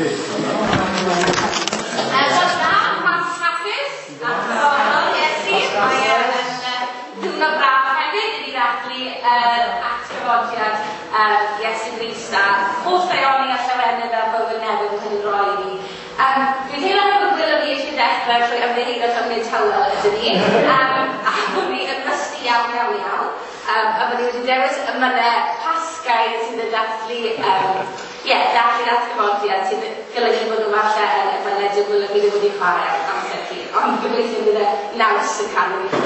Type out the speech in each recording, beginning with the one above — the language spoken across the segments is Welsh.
Hapus, a diddorol, Iesu. Mae e yn ddiwrnod braf hefyd i ni ddathlu yr atgyfodiad Iesu Grist a holl ddaioni a llawenydd a bywyd newydd yn cael ei roi i ni. Dwi'n teimlo fel bod Gwilym fi eisiau dechrau trwy ymddiheuro taw nid tywel ydyn ni. A bod ni yn rusty iawn, iawn, iawn. A bod ni wedi dewis emynau Pasgaidd sydd yn dathlu, ie, dathlu'r atgyfodiad sydd yn golygu bod nhw falle yn emynau dyw Gwilym fi ddim wedi chwarae am amser hir. Ond gobeithio bydd y naws yn cadw i chi.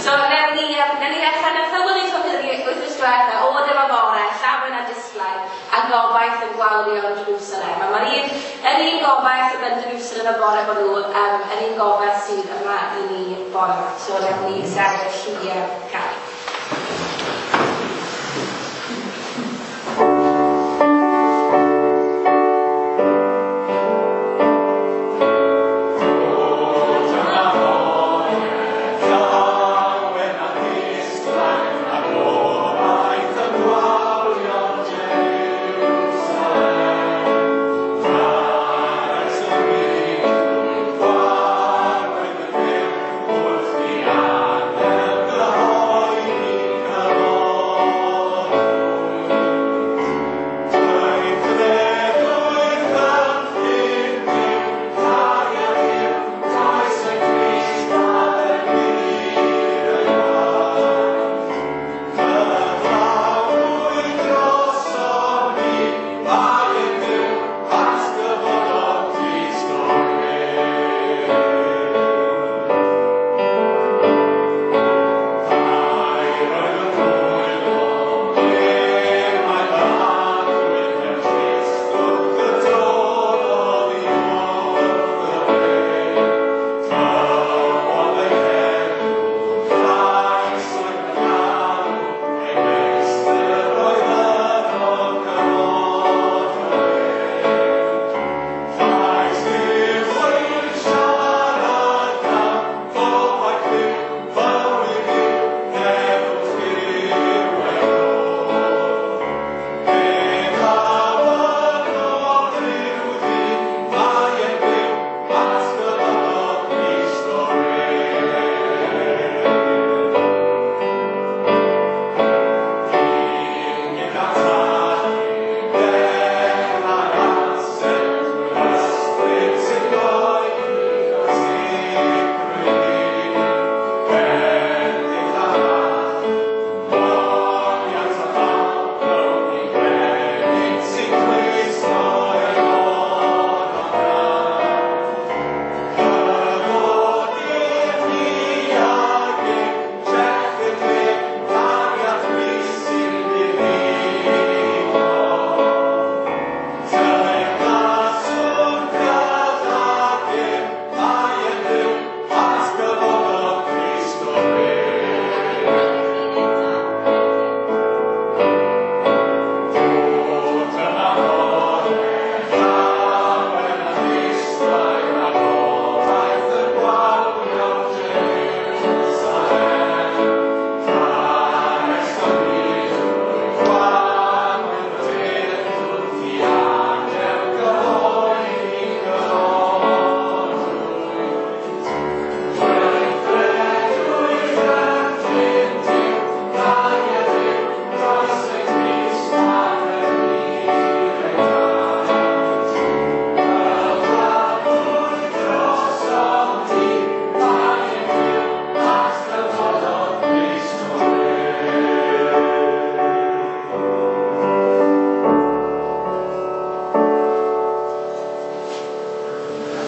So, newn ni ddechrau. Nath Hywel ni topi wythnos diwetha, o dyma bore, llawen a disglair, a gobaith yn gwawrio yn Jerusalem. A mae'r un, yr un gobaith oedd yn Jerusalem y bore hwnnw, yr un gobaith sydd yma i ni bore yma. So, newn ni sefyll i canu.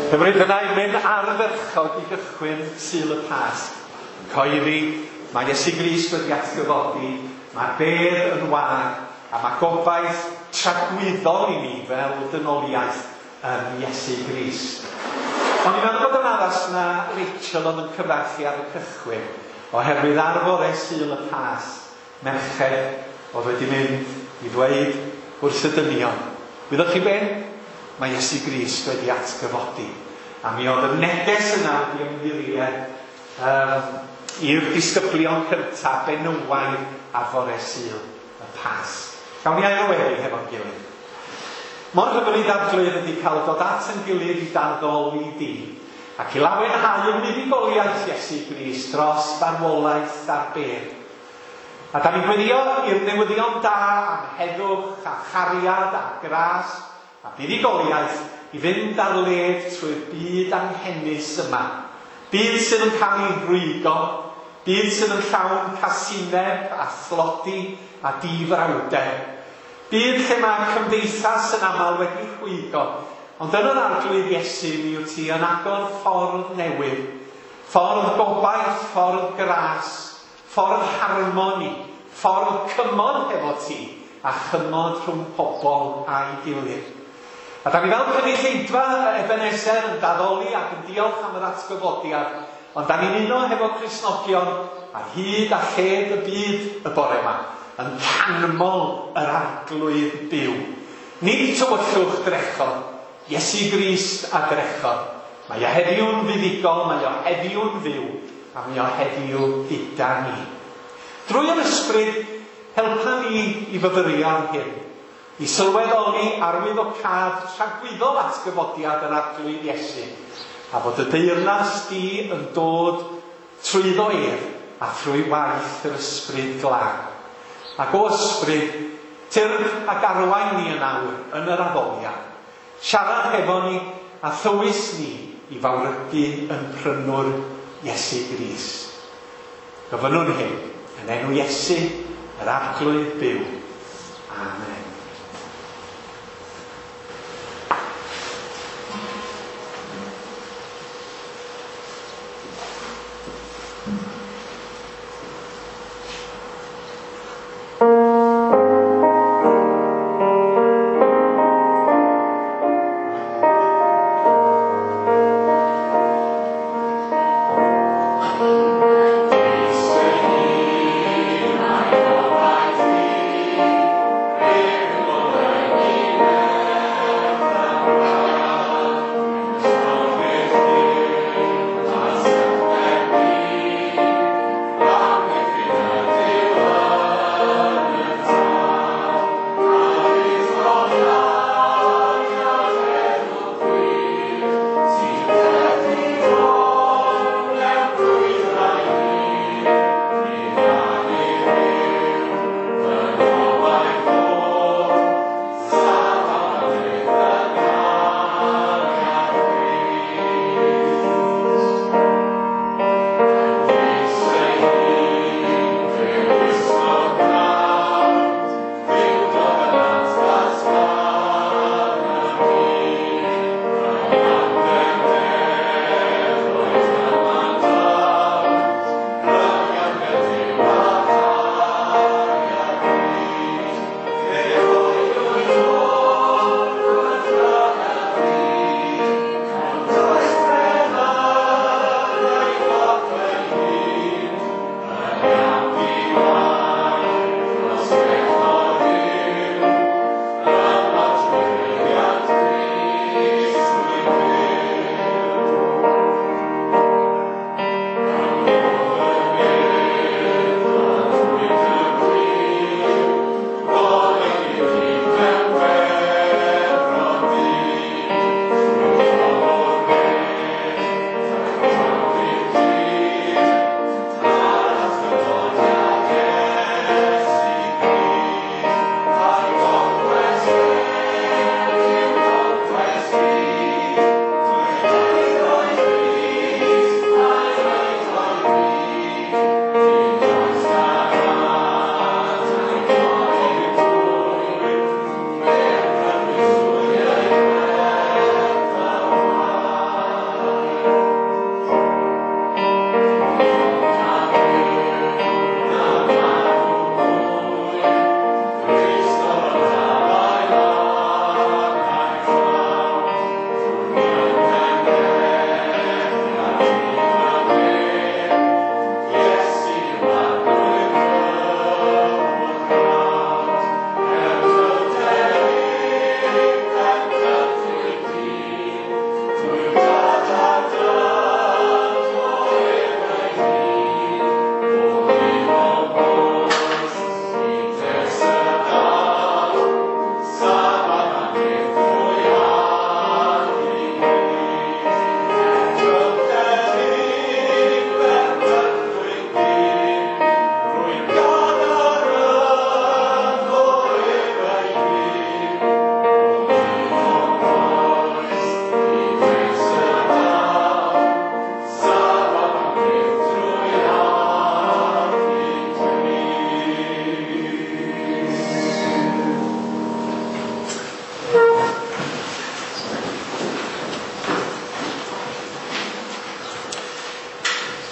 Hyfryd yna i mynd ardderchog i gychwyn Sul y Pasg. Yn coeddi, mae Iesu Grist wedi atgyfodi, mae'r bedd yn wag, a mae gobaith tragwyddol i ni fel dynoliaeth yn Iesu Grist. Ond i'n meddwl bod yn addas na Rachel oedd yn cyfarchu ar y cychwyn, oherwydd ar fore Sul y Pasg, merched oedd wedi mynd i ddweud wrth y dynion. Wyddoch chi be? Mae Iesu Grist wedi atgyfodi. A mi oedd y neges yna wedi ymddiried i'r disgyblion cyntaf benywaidd ar fore Sul y Pasg. Gawn ni ail o weddi hefo'n gilydd. Mor hyfryd Arglwydd ydy cael dod at yn gilydd i d'addoli di, ac i lawenhau yn fuddugoliaeth Iesu Grist dros farwolaeth a'r bedd. A da ni'n gweddio i'r newyddion da am heddwch a chariad a gras a buddugoliaeth i fynd ar led trwy'r byd anghenus yma. Byd sydd yn cael ei rwygo, byd sydd yn llawn casineb a thlodi a difrawder. Byd lle mae cymdeithas yn aml wedi rhwygo, ond yn yr Arglwydd Iesu mi wyt ti yn agor ffordd newydd, ffordd gobaith, ffordd gras, ffordd harmoni, ffordd cymod hefo ti, a chymod rhwng pobl a'i gilydd. A da ni fel cynulleidfa Ebenezer yn daddoli ac yn diolch am yr atgyfodiad, ond da ni'n uno hefo Cristnogion ar hyd a lled y byd y bore yma, yn canmol yr Arglwydd byw. Nid tywyllwch drechodd, Iesu Grist a drechodd. Mae o heddiw'n fuddugol, mae o heddiw'n fyw, a mae o heddiw gyda ni. Drwy yr ysbryd, helpa ni i fyfyrio ar hyn, i sylweddoli arwyddocâd tragwyddol atgyfodiad yr Arglwydd Iesu, a bod y deyrnas di yn dod trwyddo ef a thrwy waith yr ysbryd glân. Ac o ysbryd, tyrd ac arwain ni yn awr yn yr addoliad. Siarad hefo ni a thywys ni i fawrygu yn prynwr Iesu Grist. Gofynnwn hyn yn enw Iesu, yr Arglwydd byw. Amen. Amen.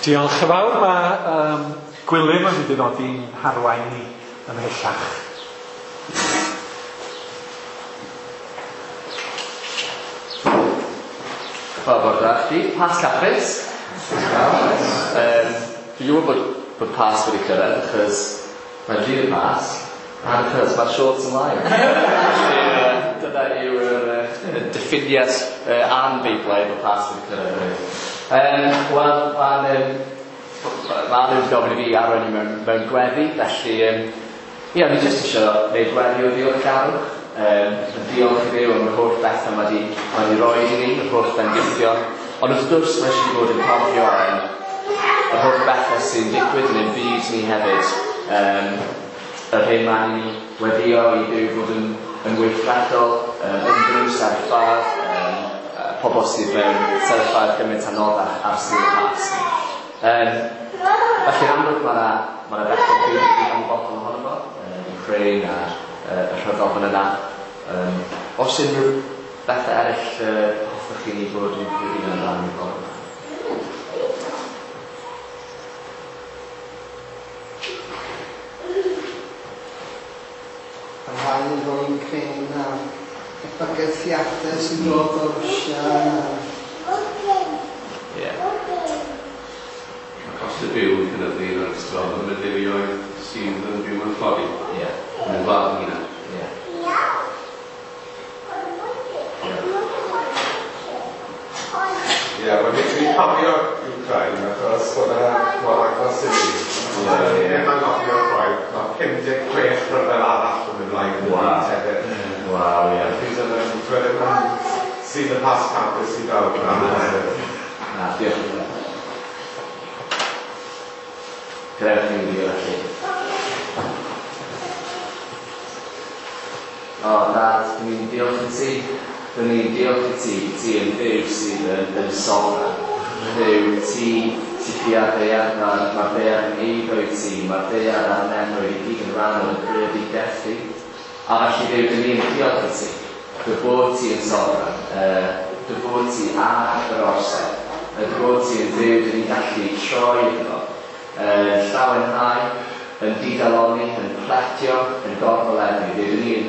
Diolch yn fawr. Mae Gwilym yn mynd i ddod i'n harwain ni ymhellach. Wel, bore da chdi. Pasg hapus. Dwi'n gwybod bod Pasg wedi cyrraedd achos mae'n ddydd y Pasg a achos mae'r shorts ymlaen. Felly dyna yw'r diffiniad an-Feiblaidd bod Pasg wedi cyrraedd hefyd. Wel, mae'n ma nhw wedi gofyn i fi arwain i mewn gweddi, felly ie, fi jyst eisiau gwneud gweddi o ddiolchgarwch. Diolch i Dduw am yr holl bethau mae wedi rhoi i ni, yr holl bendithion. Ond wrth gwrs mae eisiau bod yn cofio yr holl bethau sy'n digwydd yn ein byd ni hefyd. Yr hyn mae ni weddio i Dduw fod yn weithredol, unrhyw sefyllfaoedd, pobl sydd mewn sefyllfaoedd gymaint anoddach ar Sul y Pasg. Felly'n amlwg mae yna bethau byd i gyd ymwybodol ohono fo, Ukraine a'r y rhyfel fan yna. Os unrhyw bethau eraill hoffech chi ni bod yn gweddio amdano bore yma? Parhau efo Ukraine a'r bygythiadau sy'n dod o Rwsia. Ie. Mae cost y byw yn cynyddu yn aruthrol yn y deuluoedd sydd yn byw yn tlodi. Ie. Yn y wlad yn hunan. Ie. Ie, wel ni'n cofio Ukraine achos oedd e mor agos i ni. Ie. Ddim yn cofio chwaith, mae 56 rhyfel arall yn mynd mlaen yn y byd hefyd. Waw, ie. Felly dyna ni, dwi ddim yn sydd y Pasg hapus i bawb. Na, diolch yn fawr. Gadewch i ni wylio felly. O, Dad, dyn ni'n diolch i ti. Dyn ni'n diolch i ti, ti yn Dduw sydd yn sofran. Dduw, ti sydd pia'r ddaear, mae'r ddaear yn eiddo i ti, mae'r ddaear a'r nefoedd i gyd yn rhan o'r greadigaeth di. A felly Dduw, dyn ni'n diolch i ti, dy fod ti yn sofran, dy fod ti ar yr orsedd, dy fod ti yn Dduw, dyn ni'n gallu troi iddo, yn llawenhau, yn digalonni, yn pletio, yn gorfoleddu. Dduw, dyn ni'n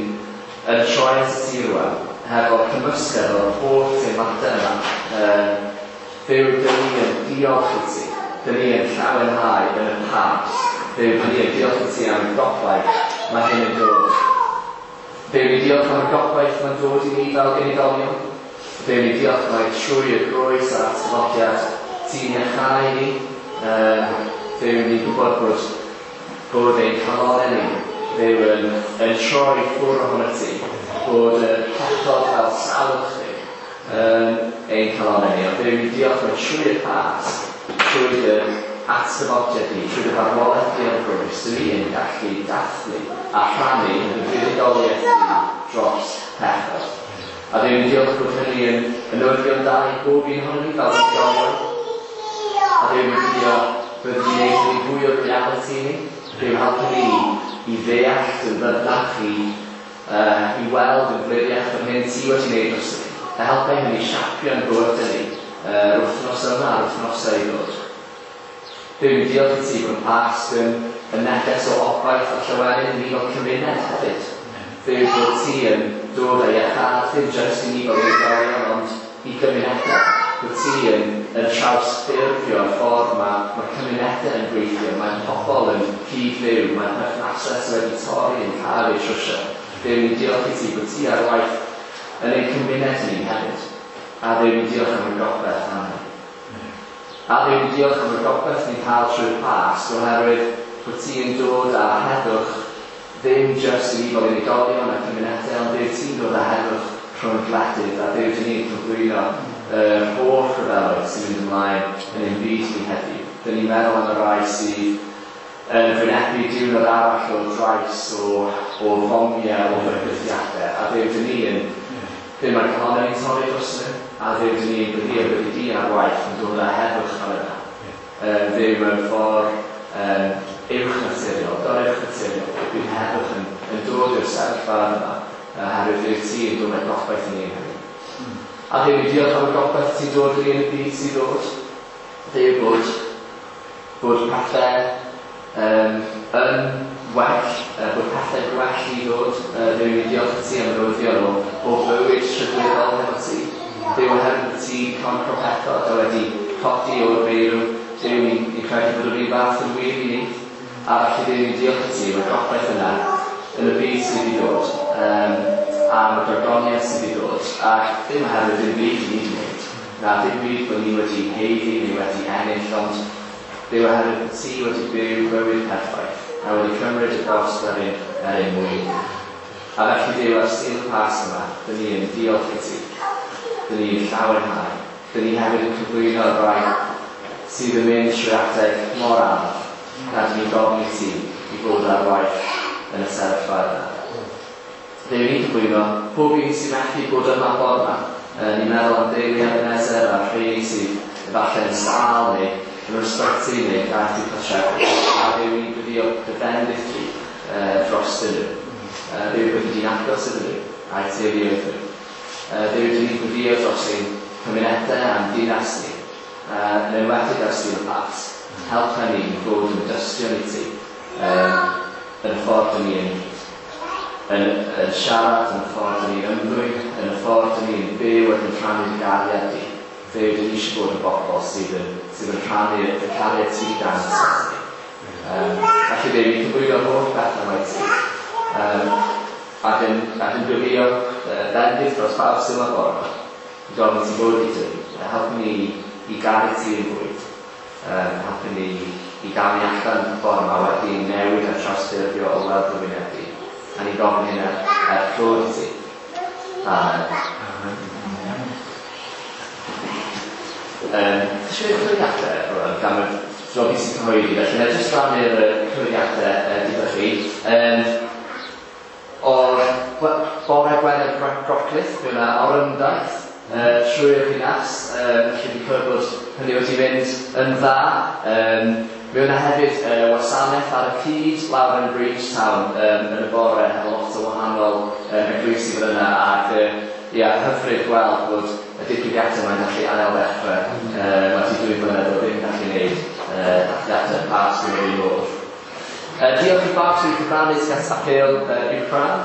yn troi at y ti rwan, hefo cymysgedd o'r holl teimladau yma. Dduw, dyn ni yn diolch i ti. Dyn ni yn llawenhau yn y Pasg. Dduw, dyn ni yn diolch i ti am y gobaith mae hyn yn dod. Dduw, ni diolch am y gobaith mae'n dod i ni fel unigolion. Dduw, ni diolch mai trwy y groes a'r atgyfodiad ti'n iachau ni. Dduw, ni'n gwybod bod ein calonnau ni, Dduw, yn troi ffwrdd ohono ti, bod y pechod fel salwch ni yn ein calonnau ni. Ond Dduw, ni diolch mai trwy y Pasg, trwy dy atgyfodiad di, trwy dy farwolaeth di ar y groes, dyn ni yn gallu dathlu a rhannu yn y fuddugoliaeth di dros pechod. A Dduw, ni diolch bod hynny yn newyddion da i bob un ohonon ni fel unigolion. A Dduw, ni diolch bod ni'n gwneud hynny fwy o realiti i ni. Dduw, helpu ni i ddeall yn ddyfnach, i weld yn gliriach yr hyn ti wedi gwneud dros ni. A helpu hynny siapio'n bywydau ni yr wythnos yma a'r wythnosau i ddod. Dduw, ni diolch i ti bod y Pasg yn neges o obaith a llawenydd i ni fel cymuned hefyd. Dduw, bod ti yn dod â iachâd, ddim jyst i ni fel unigolion, ond i gymunedau. Bod ti yn trawsffurfio'r ffordd mae cymunedau yn gweithio, mae pobl yn cyd-fyw, mae perthnasau sydd wedi torri yn cael eu trwsio. Dduw, ni diolch i ti bod ti ar waith yn ein cymuned ni hefyd. A Dduw, ni diolch am y gobaith am hynny. A Dduw, ni diolch am y gobaith ni'n cael trwy'r Pasg, oherwydd bod ti yn dod â heddwch ddim jyst i ni fel unigolion a cymunedau, ond Dduw, ti'n dod â heddwch rhwng gwledydd, a Dduw, dyn ni'n cyflwyno yr holl rhyfeloedd sy'n mynd ymlaen yn ein byd ni heddiw. Dyn ni'n meddwl am y rai sydd yn wynebu diwrnod arall o drais, o fomiau, o fygythiadau, a Dduw, dyn ni yn Dduw, mae'r calonnau ni'n torri dros nhw, a Dduw, dyn ni'n gweddio byddi di ar waith yn dod â heddwch fel yna. Dduw, mewn ffordd uwch naturiol, goruwch naturiol, bydd heddwch yn dod i'r sefyllfa yma, oherwydd Dduw ti yn dod â gobaith i ni yn hynny. A Dduw, ni diolch am y gobaith ti'n dod i ni yn y byd sy'n dod. Dduw, bod bod pethau yn well, bod pethau gwell i ddod. Dduw, ni'n diolch i ti am y newyddion o fywyd tragwyddol hefo ti. Dduw, oherwydd ti concro pethau a wedi codi o'r meirw, Duw, ni'n credu bod yr un fath yn wir i ni. A felly Duw, ni'n diolch i ti am y gobaith yna yn y byd sydd i ddod, am y gorgoniaeth sydd i ddod, ac ddim oherwydd dim byd i ni wedi wneud, na dim byd bod ni wedi haeddu neu wedi ennill, ond Duw, oherwydd bod ti wedi byw bywyd perffaith a wedi cymryd y gost ar ein mwyn ni. A felly Duw, ar Sul y Pasg yma, dyn ni yn diolch i ti. Dyn ni yn llawenhau. Dyn ni hefyd yn cyflwyno y rai sydd yn mynd trwy adeg mor anodd, na dyn ni'n gofyn i ti i fod ar waith yn y sefyllfa yna. Dduw, ni'n cyflwyno pob un sy'n methu bod yma bore yma. Ni'n meddwl am deulu Ebenezer a'r rheini sydd efallai yn sâl neu yn yr ysbyty neu gaeth i'w cartrefi. A Dduw, ni'n gweddio dy fendith di drostyn nhw. Dduw, byddi di'n agos iddyn nhw a'u teuluoedd nhw. Dduw, dyn ni'n gweddio dros ein cymunedau a'n dinas ni, yn enwedig ar Sul y Pasg. Helpa ni i fod yn dystion i ti yn y ffordd dyn ni yn siarad, yn y ffordd dyn ni'n ymddwyn, yn y ffordd dyn ni'n byw ac yn rhannu dy gariad di. Dduw, dyn ni eisiau bod yn bobl sydd yn rhannu y cariad ti wedi dangos wrthon ni. Felly Dduw, ni'n cyflwyno'r holl bethau yma i ti. Ac yn gweddio bendith dros bawb sydd yma bore yma. Yn gofyn i ti fod gyda ni. Helpu ni i garu ti yn fwy. Helpu ni i gamu allan y ffordd yma wedi newid a trawsffurfio o weld dy wyneb di. A ni'n gofyn hyn er clod i ti. Amen. Ti eisiau cyfeiriadau rwan, gan y dro fi sy'n cyhoeddi, felly na jyst rannu'r cyfeiriadau gyda chi. O'r bore Gwener Groclith, mi yna orymdaith trwy'r ddinas, felly fi'n clywed bod hynny wedi mynd yn dda. Mi yna hefyd wasanaeth ar y cyd lawr yn Bridgetown yn y bore hefo lot o wahanol eglwysi fel yna, ac ia, hyfryd gweld bod y digwyddiadau mae'n gallu ail ddechrau. Mae 'di 2 mlynedd o ddim gallu gwneud dathliadau Pasg yn yr un modd. Diolch i bawb sydd wedi cyfrannu tuag at apêl Wcráin.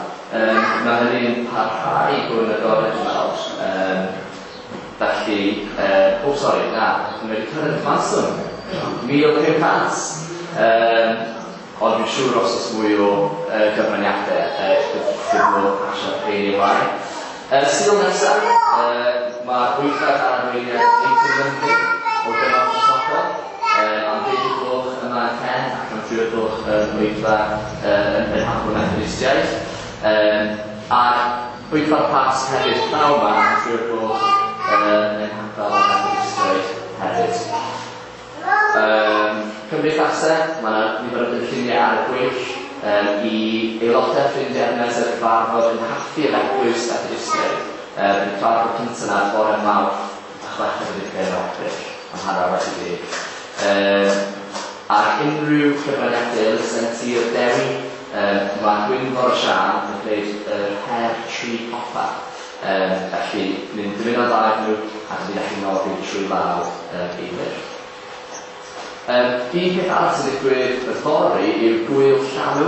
Mae hynny'n parhau i fod yn agored dwi'n meddwl. Felly, o sori, na, ni wedi cyrraedd y cyfanswm. 1,500! Ond dwi'n siŵr os oes mwy o gyfraniadau, bydd modd pasio'r rheini ymlaen. Sul nesaf, mae'r bwyllgor dan arweiniad Nathan Lundy o Gymorth Cristnogol, am 10 o'r gloch yma yn Ken ac am 3 o'r gloch yn oedfa yn Penhapel Methodistiaid. A'r bwyllgor Pasg hefyd pnawn yma am 3 o'r gloch yn Nghapel y Methodistiaid hefyd. Cymdeithasau, mae yna nifer o gynlluniau ar y gweill i aelodau ffrindiau Ebenezer cyfarfod yng nghaffi yr Eglwys Fethodistiaid. Bydd y cyfarfod cyntaf yna bore Mawrth y chweched ar hugain o Ebrill am 10:30. Ac unrhyw cyfraniadau elusen Tir Dewi, mae Gwynfor a Siân yn gwneud yr her tri copa. Felly, ni'n dymuno'n dda iddyn nhw ac ni'n gallu noddi trwy law Eilir. Un peth arall sy'n digwydd yfory yw Gŵyl Llanw.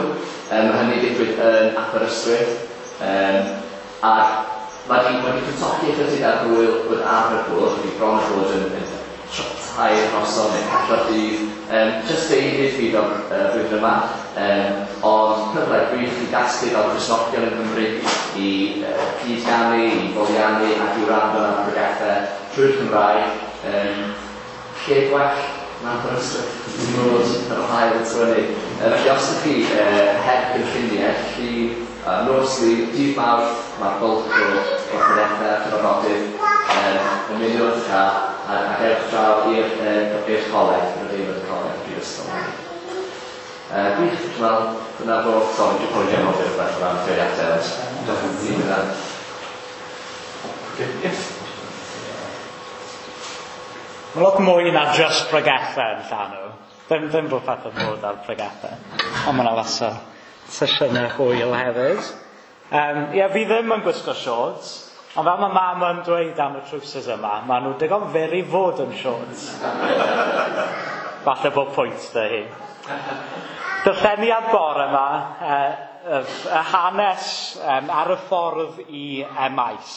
Mae hynny'n digwydd yn Aberystwyth. Ac mae wedi mae wedi cwtogi ychydig ar ŵyl oedd arfer bod, wedi bron â bod yn tair noson neu pedwar dydd. Jyst deuddydd fydd o'r flwyddyn yma. Ond cyfle gwych i gasglu fel Cristnogion yng Nghymru i cyd-ganu, i foliannu ac i wrando ar bregethau trwy'r Cymraeg. Lle gwell na Aberystwyth i fod yr haul yn tywynnu. Felly os ydych chi heb gynlluniau, llun, nos Lun, dydd Mawrth, mae'r bwlch o'r pregethau a'r cyfarfodydd, ymunwch a ewch draw i'r coleg, yr adeilad y coleg, y brifysgol. Gwych, dwi'n meddwl, dyna fo. Sori, dwi'n probably anghofio rhywbeth o ran cyfeiriadau, ond diolch i ti hynna. Okay, yes. Mae lot mwy na just pregethau yn Llanw. Ddim bod pethau'n bod ar pregethau, ond mae yna lot o sesiynau hwyl hefyd. Ie, fi ddim yn gwisgo shorts, ond fel mae mam yn dweud am y trowsus yma, maen nhw digon fyr i fod yn shorts. Falle bod pwynt dy hi. Darlleniad bore yma, y hanes ar y ffordd i Emaus.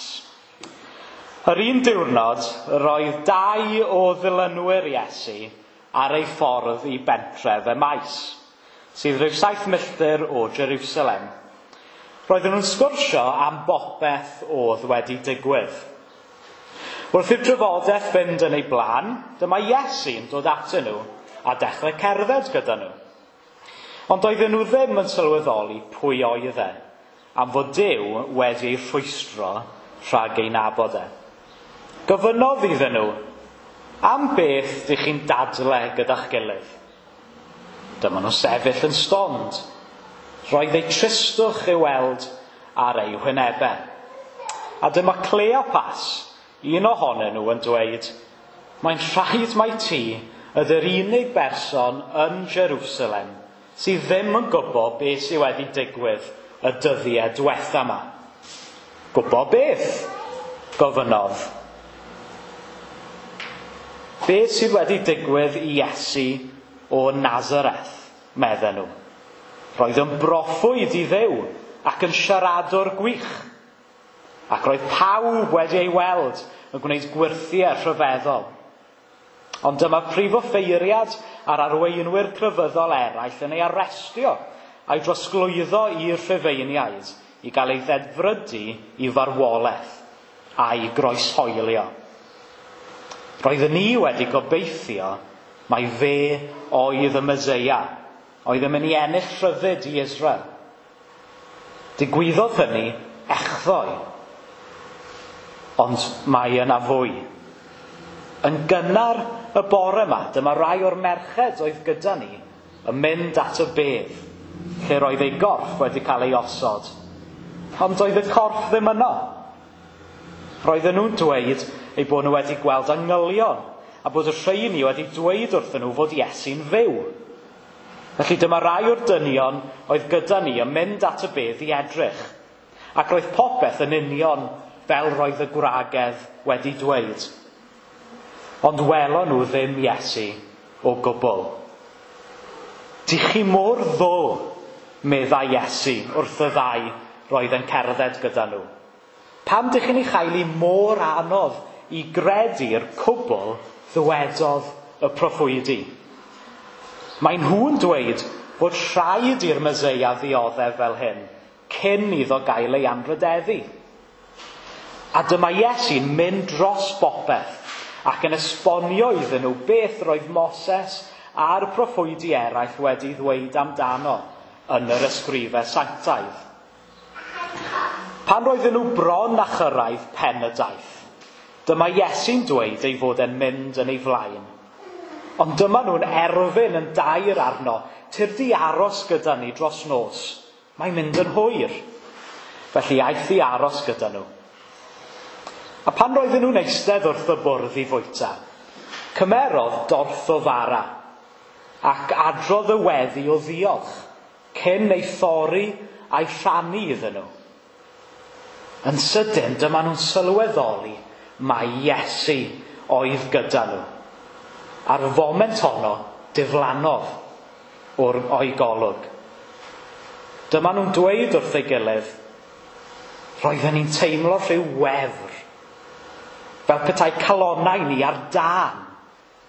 Yr un diwrnod, roedd dau o ddilynwyr Iesu ar ei ffordd i bentref Emaus, sydd rhyw 7 milltir o Jerusalem. Roedden nhw'n sgwrsio am bopeth oedd wedi digwydd. Wrth i'r drafodaeth fynd yn ei blaen, dyma Iesu'n dod atyn nhw a dechrau cerdded gyda nhw. Ond oedden nhw ddim yn sylweddoli pwy oedd e, am fod Duw wedi ei rhwystro rhag ei nabod e. Gofynnodd iddyn nhw, am beth dych chi'n dadle gyda'ch gilydd? Dyma nhw sefyll yn stond. Roedd eu tristwch i'w weld ar eu hwynebau. A dyma Cleopas, un ohonyn nhw, yn dweud, mae'n rhaid mai ti ydy'r unig berson yn Jerusalem sydd ddim yn gwybod beth sydd wedi digwydd y dyddiau diwetha yma. Gwybod beth? Gofynnodd. Beth sydd wedi digwydd i Iesu o Nazareth, medden nhw. Roedd yn broffwyd i Dduw ac yn siaradwr gwych. Ac roedd pawb wedi ei weld yn gwneud gwyrthiau rhyfeddol. Ond dyma prif offeiriad a'r arweinwyr crefyddol eraill yn ei arestio a'i drosglwyddo i'r Rhufeiniaid i gael ei ddedfrydu i farwolaeth a'i groeshoelio. Roedden ni wedi gobeithio mai fe oedd y Meseia, oedd yn mynd i ennill rhyddid i Israel. Digwyddodd hynny echddoe, ond mae yna fwy. Yn gynnar y bore yma, dyma rai o'r merched oedd gyda ni yn mynd at y bedd, lle roedd ei gorff wedi cael ei osod. Ond oedd y corff ddim yno. Roedden nhw'n dweud eu bod nhw wedi gweld angylion, a bod y rheini wedi dweud wrthyn nhw fod Iesu'n fyw. Felly dyma rai o'r dynion oedd gyda ni yn mynd at y bedd i edrych, ac roedd popeth yn union fel roedd y gwragedd wedi dweud. Ond welon nhw ddim Iesu o gwbl. Dych chi mor ddwl, meddai Iesu wrth y ddau roedd yn cerdded gyda nhw. Pam dych chi'n ei chael hi mor anodd i gredu'r cwbl ddywedodd y proffwydi? Mae nhw'n dweud bod rhaid i'r Meseia ddioddef fel hyn, cyn iddo gael ei anrhydeddu. A dyma Iesu'n mynd dros bopeth ac yn esbonio iddyn nhw beth roedd Moses a'r proffwydi eraill wedi ddweud amdano yn yr ysgrifau sanctaidd. Pan roedden nhw bron â chyrraedd pen y daith, dyma Iesu'n dweud ei fod e'n mynd yn ei flaen. Ond dyma nhw'n erfyn yn dair arno, tyrd i aros gyda ni dros nos. Mae'n mynd yn hwyr. Felly aeth i aros gyda nhw. A pan roedden nhw'n eistedd wrth y bwrdd i fwyta, cymerodd dorth o fara ac adrodd y weddi o ddiolch cyn ei thorri a'i rhannu iddyn nhw. Yn sydyn, dyma nhw'n sylweddoli mai Iesu oedd gyda nhw. A'r foment honno diflannodd o'i golwg. Dyma nhw'n dweud wrth ei gilydd, roedden ni'n teimlo rhyw wefr, fel petai calonnau ni ar dân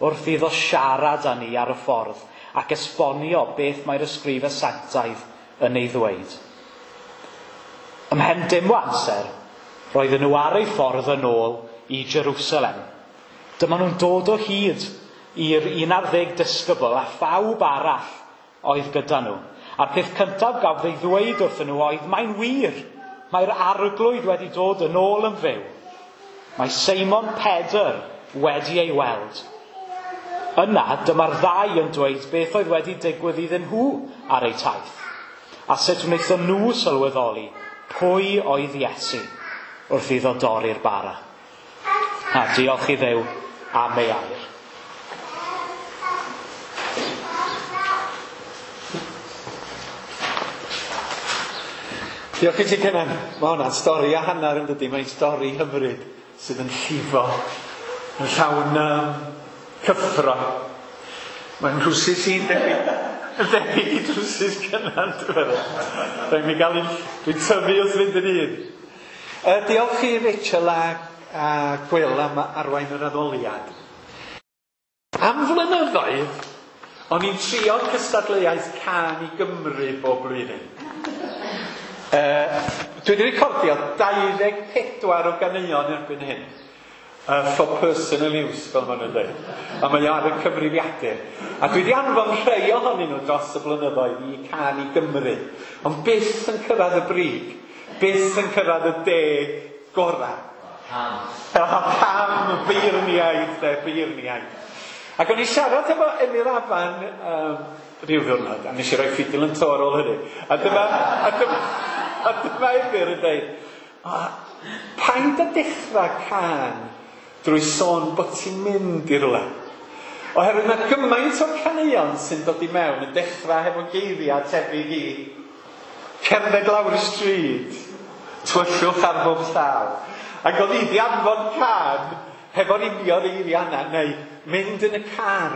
wrth iddo siarad â ni ar y ffordd ac esbonio beth mae'r ysgrifau sanctaidd yn ei ddweud. Ymhen dim o amser, roedden nhw ar eu ffordd yn ôl i Jerusalem. Dyma nhw'n dod o hyd i'r 11 disgybl a phawb arall oedd gyda nhw. A'r peth cyntaf gafodd ei ddweud wrthyn nhw oedd, mae'n wir, mae'r arglwydd wedi dod yn ôl yn fyw. Mae Seimon Pedr wedi ei weld. Yna, dyma'r ddau yn dweud beth oedd wedi digwydd iddyn nhw ar eu taith, a sut wnaethon nhw sylweddoli pwy oedd Iesu wrth iddo dorri'r bara. A diolch i Dduw am ei air. Diolch i ti, Cynan. Mae hwnna'n stori a hanner yn dydi. Mae'n stori hyfryd sydd yn llifo, yn llawn cyffro. Mae'n nhrwsus i'n debyg, yn debyg i drwsus Cynan, dwi'n meddwl. Rhaid mi gael un, dwi'n tyfu wrth fynd yn un. Diolch i Rachel a Gwil am arwain yr addoliad. Am flynyddoedd, o'n i'n trio cystadleuaeth Cân i Gymru bob blwyddyn. Dwi wedi recordio 24 o ganeuon erbyn hyn. For personal use, fel maen nhw'n dweud. A mae o ar y cyfrifiadur. A dwi wedi anfon rhai ohonyn nhw dros y blynyddoedd i Cân i Gymru. Ond byth yn cyrraedd y brig. Byth yn cyrraedd y 10 gorau. Pam? Pam, beirniaid, de, beirniaid. Ac o'n i siarad efo Emyr Afan rhyw ddiwrnod, a nes i roi ffidil yn to ar ôl hynny. A dyma Emyr yn dweud, paid â dechrau cân drwy sôn bod ti'n mynd i rywle. Oherwydd mae gymaint o'r caneuon sy'n dod i mewn yn dechrau hefo geiriau tebyg i cerdded lawr y stryd, tywyllwch ar bob llaw. Ac oedd i 'di anfon cân hefo'r union eiriau yna, neu mynd yn y car.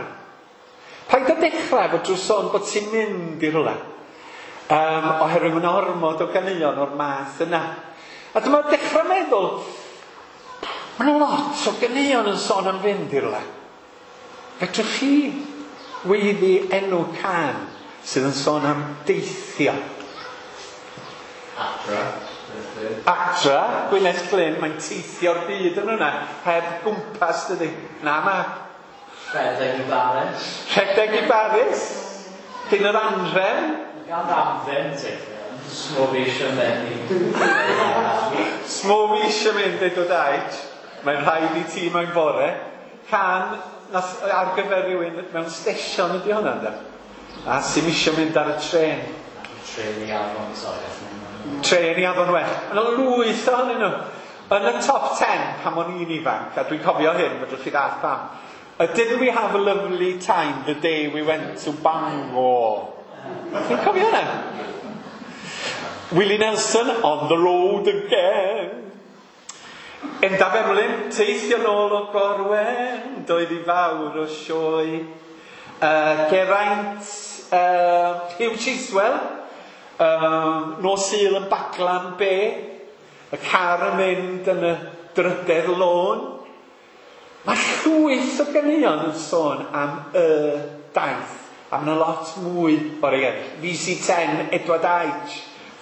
Paid â dechrau efo drwy sôn bod ti'n mynd i rywle. Oherwydd mae'n ormod o ganeuon o'r math yna. A dyma dechrau meddwl, mae'n lot o ganeuon yn sôn am fynd i rywle. Fedrwch chi weiddi enw cân sydd yn sôn am deithio? Adra. Adra, Gwyneth Glyn, mae'n teithio'r byd yn hwnna, heb gwmpas, dydy. Na, map. Rhedeg i Baris. Rhedeg i Baris. Cyn yr anrhen. Gan amdden, teithio. Smo fi eisiau mynd. Smo fi eisiau mynd, Edward Aich. Mae'n rhaid i ti mewn bore. Can ar gyfer rhywun mewn stesion ydy hwnna, ynddo? A sy'm eisiau mynd ar y trên. Trên i Afon, sorry. Trên i Afon Well. Yna lwyth ohonyn nhw. Yn y top 10 pan o'n i'n ifanc, a dwi'n cofio hyn, fedrwch chi ddallt pam. Didn't we have a lovely time the day we went to Bangor? Chi'n cofio hynna? Willie Nelson, On the Road Again. Endaf Emlyn, teithio nôl o Gorwen, doedd i fawr o sioe. Geraint, Hugh Chiswell, nos Sul yn Baglan B, y car yn mynd yn y drydedd lôn. Mae llwyth o ganeuon yn sôn am y daith, a mae yna lot mwy o'r ei eraill. VC10, Edward Aich,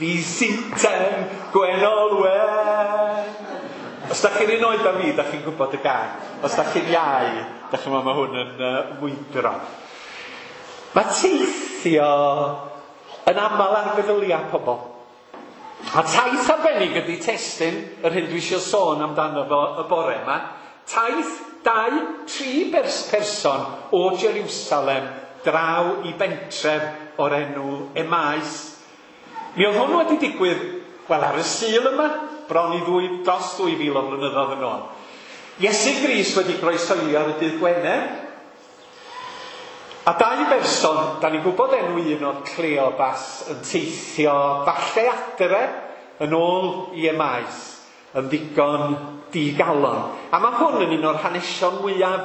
VC10, Gwen Olwen. Os da chi'n un oed â fi, da chi'n gwybod y gan. Os da chi'n iau, da chi'n meddwl mae hwn yn mwydro. Mae teithio yn aml ar feddyliau pobl. A taith arbennig ydy testun yr hyn dwi eisiau sôn amdano fo y bore yma. Taith 2-3 person o Jerusalem draw i bentref o'r enw Emmaus. Mi oedd hwn wedi digwydd, wel, ar y Sul yma, bron i dros 2000 o flynyddoedd yn ôl. Iesu Grist wedi groesoelio ar y dydd Gwener. A dau berson, da ni'n gwybod enw un o'r Cleopas, yn teithio falle adre yn ôl i Emmaus, yn ddigon digalon. A mae hwn yn un o'r hanesion mwyaf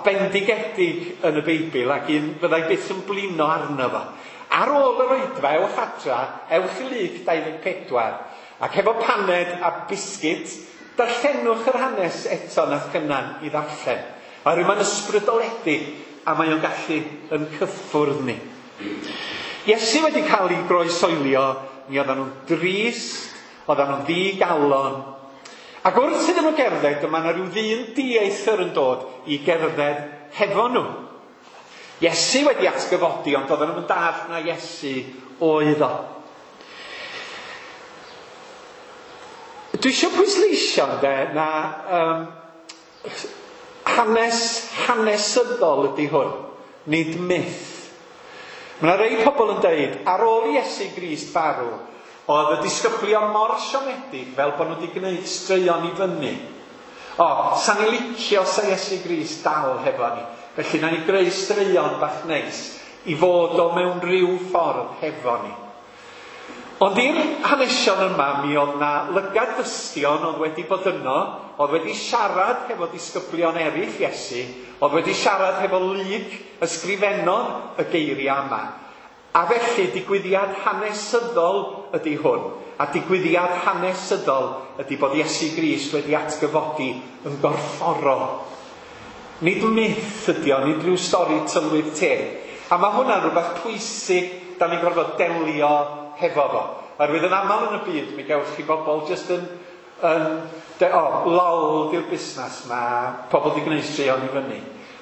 bendigedig yn y Beibl, ac un fyddai byth yn blino arno fo. Ar ôl yr oedfa, ewch adra, ewch i Luc 24, ac efo paned a biscuit, darllenwch yr hanes eto nath Cynan i ddarllen. Oherwydd mae'n ysbrydoledig, a mae o'n gallu yn cyffwrdd ni. Iesu wedi cael ei groesoelio, mi oedden nhw'n drist, oedden nhw'n ddigalon. Ac wrth iddyn nhw gerdded, dyma yna rhyw ddyn dieithr yn dod i gerdded hefo nhw. Iesu wedi atgyfodi, ond oedden nhw'n dallt na Iesu oedd o. Dwi eisiau pwysleisio, ynde, na hanes hanesyddol ydy hwn, nid myth. Mae yna rei pobl yn deud, ar ôl Iesu Grist farw, oedd y disgyblion mor siomedig fel bod nhw wedi gwneud straeon i fyny. O, sa'n ni licio sa Iesu Grist dal hefo ni. Felly, na ni greu straeon bach neis i fod o mewn rhyw ffordd hefo ni. Ond i'r hanesion yma, mi oedd na lygad dystion oedd wedi bod yno, oedd wedi siarad hefo disgyblion eraill Iesu, oedd wedi siarad hefo Luc ysgrifennodd y geiriau yma. A felly digwyddiad hanesyddol ydy hwn. A digwyddiad hanesyddol ydy bod Iesu Grist wedi atgyfodi yn gorfforol. Nid myth ydy o, nid rhyw stori tylwyth teg. A mae hwnna'n rhywbeth pwysig da ni'n gorfod delio hefo fo. Oherwydd yn aml yn y byd, mi gewch chi bobl jyst yn lol di'r busnes ma, pobl di gwneud straeon i fyny.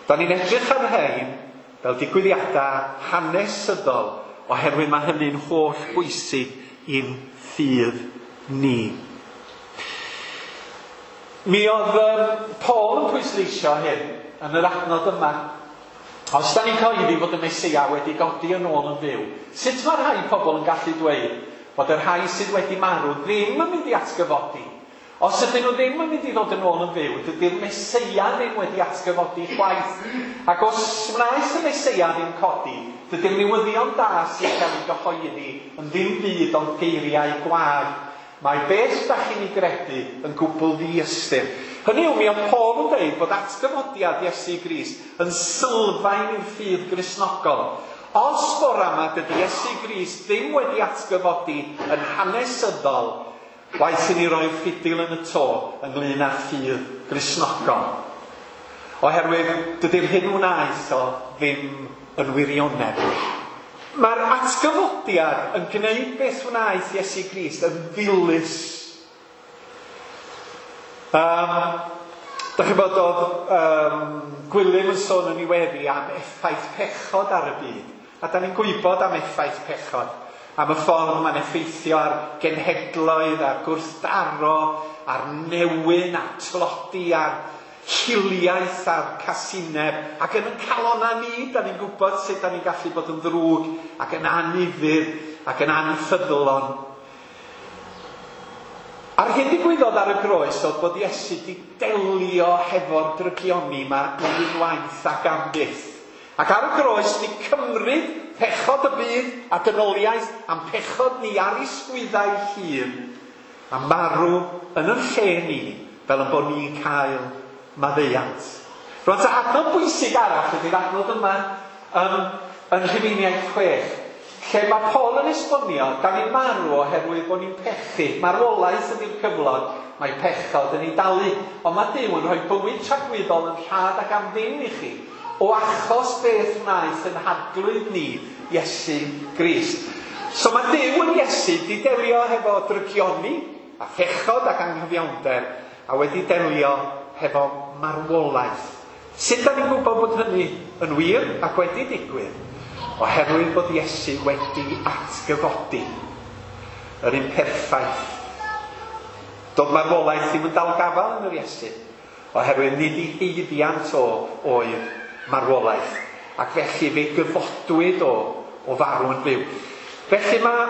Da ni'n edrych ar rhain fel digwyddiadau hanesyddol, oherwydd mae hynny'n holl bwysig i'n ffydd ni. Mi oedd Paul yn pwysleisio hyn yn yr adnod yma. Os da ni'n cyhoeddi fod y Meseia wedi godi yn ôl yn fyw, sut mae rhai pobl yn gallu dweud bod y rhai sydd wedi marw ddim yn mynd i atgyfodi? Os ydyn nhw ddim yn mynd i ddod yn ôl yn fyw, dydy'r Meseia ddim wedi atgyfodi chwaith. Ac os wnaeth y Meseia ddim codi, dydy'r newyddion da sy'n cael ei gyhoeddi yn ddim byd ond geiriau gwag. Mae beth da chi'n ei gredu yn gwbl ddiystyr. Hynny yw, mi oedd Paul yn dweud bod atgyfodiad Iesu Grist yn sylfaen i'r ffydd Gristnogol. Os bora yma dydy Iesu Grist ddim wedi atgyfodi yn hanesyddol, waeth i ni roi'r ffidil yn y to ynglyn â'r ffydd Gristnogol. Oherwydd dydy'r hyn wnaeth o ddim yn wirionedd. Mae'r atgyfodiad yn gwneud beth wnaeth Iesu Grist yn ddilys. Da chi'n bod oedd Gwilym yn sôn yn ei weddi am effaith pechod ar y byd. A da ni'n gwybod am effaith pechod. Am y ffordd mae'n effeithio ar genhedloedd, ar gwrthdaro, ar newyn, ar tlodi, ar hiliaeth, a'r casineb. Ac yn y calona ni, da ni'n gwybod sut da ni'n gallu bod yn ddrwg ac yn anufudd ac yn anffyddlon. A'r hyn ddigwyddodd ar y groes oedd bod Iesu di delio hefo'r drygioni yma unwaith ac am byth. Ac ar y groes di cymryd pechod y byd a dynoliaeth am pechod ni ar ei sgwyddau hun a marw yn y lle ni fel yn bod ni'n cael maddeuant. Rwan ta adnod bwysig arall ydy'r adnod yma yn Rhufeiniaid 6, lle mae Paul yn esbonio, da ni'n marw oherwydd bod ni'n pechu. Marwolaeth ydy'r cyflog, mae pechod yn ei dalu. Ond mae Duw yn rhoi bywyd tragwyddol yn rhad ac am ddim i chi, o achos beth wnaeth yn Arglwydd ni, Iesu Grist. So mae Duw yn Iesu di delio hefo drygioni a phechod ac anghyfiawnder, a wedi delio hefo marwolaeth. Sut da ni'n gwybod bod hynny yn wir ac wedi digwydd? Oherwydd bod Iesu wedi atgyfodi yr un perffaith. Doedd marwolaeth ddim yn dal gafael yn yr Iesu, oherwydd nid ei haeddiant o oedd marwolaeth, ac felly fe gyfodwyd o farw yn fyw. Felly mae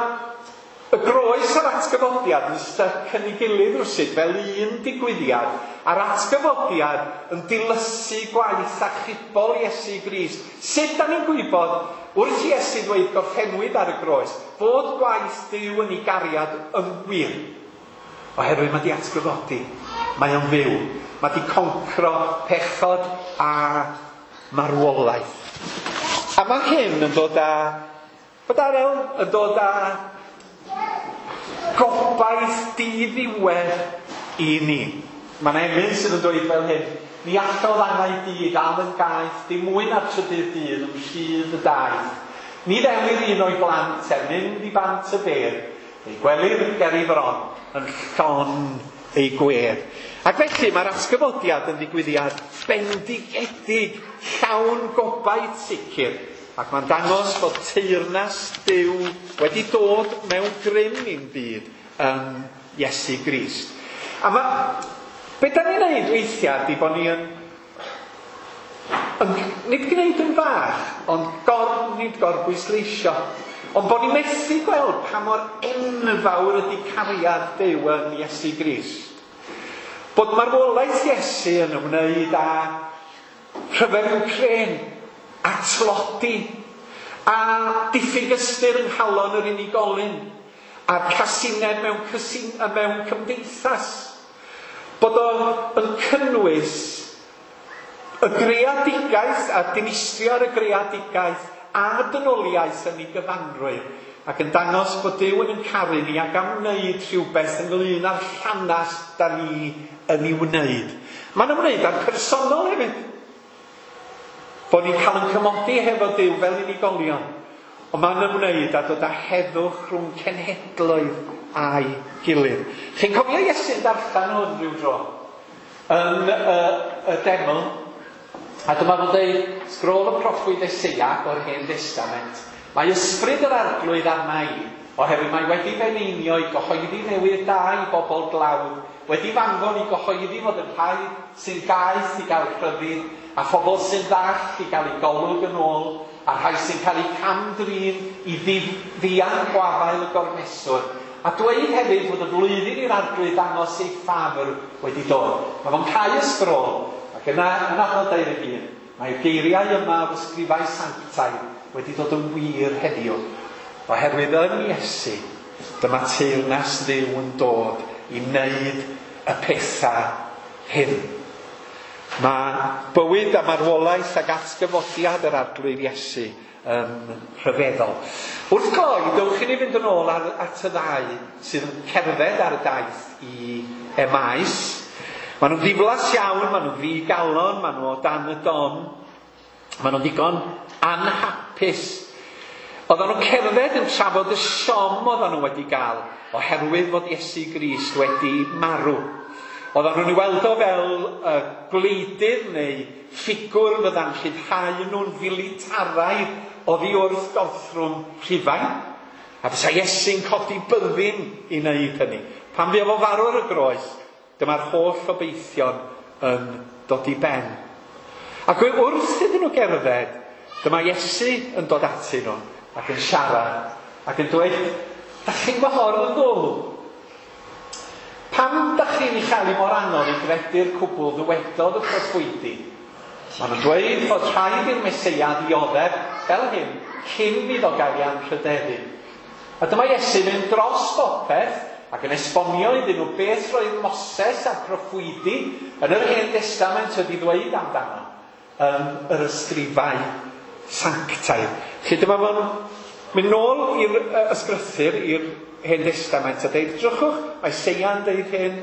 y groes a'r atgyfodiad yn styc yn ei gilydd rwsut fel un digwyddiad, a'r atgyfodiad yn dilysu gwaith achubol Iesu Grist. Sut da ni'n gwybod wrth Iesu ddweud gorffennwyd ar y groes bod gwaith Duw yn ei gariad yn wir? Oherwydd mae di atgyfodi, mae o'n fyw, mae di concro pechod a marwolaeth. A mae hyn yn dod â, bod Arel yn dod â gobaith diddiwedd i ni. Mae'n emyn sydd yn dweud fel hyn: ni allodd angau di ddal yn gaeth, dim mwy na'r trydydd dydd ymhlith y daith. Ni ddelir un o'i blant er mynd i bant y bedd, ei gwelir ger ei fron yn llon ei gwedd. Ac felly mae'r atgyfodiad yn ddigwyddiad bendigedig, llawn gobaith sicr, ac mae'n dangos bod teyrnas Duw wedi dod mewn grym i'n byd yn Iesu Grist. A mae, be da ni'n neud weithiau ydy bod ni yn nid gwneud yn fach, ond nid gorbwysleisio, ond bod ni'n methu gweld pa mor enfawr ydy cariad Duw yn Iesu Grist. Bod marwolaeth Iesu yn ymwneud â rhyfel Wcrên, a tlodi, a diffyg ystyr yng nghalon yr unigolyn, a'r casineb mewn cymdeithas. Bod o yn cynnwys y greadigaeth a dinistrio ar y greadigaeth a dynoliaeth yn ei gyfanrwydd, ac yn dangos bod Duw yn caru ni ac am wneud rhywbeth ynglyn â'r llanast da ni yn ei wneud. Mae'n ymwneud â'r personol hefyd. Bod ni'n cael yn cymodi hefo Duw fel unigolion. Ond mae'n ymwneud â dod â heddwch rhwng cenhedloedd a'i gilydd. Chi'n cofio Iesu'n darllen hwn rhyw dro yn y deml? A dyma fo'n dweud, sgrôl y proffwyd Eseia o'r Hen Destament. Mae ysbryd yr Arglwydd arna i, oherwydd mae wedi f'eneinio i gyhoeddi newydd da i bobl dlawd, wedi f'anfon i gyhoeddi fod yn rhai sy'n gaeth i gael rhyddid, a phobl sy'n ddall i gael eu golwg yn ôl, a rhai sy'n cael eu cam-drin i ddianc gwafael y gormeswr. A dweud hefyd fod y flwyddyn i'r Arglwydd dangos ei ffafr wedi dod. Mae fo'n cau y sgrôl, ac yna yn adnod 21, mae'r geiriau yma o'r ysgrifau sanctaidd wedi dod yn wir heddiw. Oherwydd yn Iesu, dyma teyrnas Dduw yn dod i wneud y pethau hyn. Mae bywyd a marwolaeth ac atgyfodiad yr Arglwydd Iesu yn rhyfeddol. Wrth gloi, dewch i ni fynd yn ôl at y ddau sydd yn cerdded ar y daith i Emaus. Maen nhw'n ddiflas iawn, maen nhw'n ddigalon, maen nhw o dan y don, maen nhw'n ddigon anhapus. Oedden nhw'n cerdded yn trafod y siom oedden nhw wedi gael oherwydd fod Iesu Grist wedi marw. Oedden nhw'n ei weld o fel gwleidydd neu ffigwr fydda'n rhyddhau nhw'n filitaraidd oddi wrth gorthrwm Rhufain. A fysa Iesu'n codi byddin i wneud hynny. Pan fuodd o farw ar y groes, dyma'r holl obeithion yn dod i ben. Ac wrth iddyn nhw gerdded, dyma Iesu yn dod atyn nhw ac yn siarad ac yn dweud, da chi'n gwahodd yn ddwl? Pam da chi'n ei chael i mor anodd i gredu'r cwbl ddywedodd y proffwydi? Maen nhw'n dweud fod rhaid i'r Meseia ddioddef fel hyn cyn iddo gael ei anrhydeddu. A dyma Iesu mynd dros bopeth ac yn esbonio iddyn nhw beth roedd Moses a'r proffwydi yn yr Hen Destament wedi ddweud amdano yn yr ysgrifau sanctaidd. Felly dyma fo'n mynd nôl i'r ysgrythur, i'r Hen Destament a dweud, drychwch, mae Seia'n dweud hyn,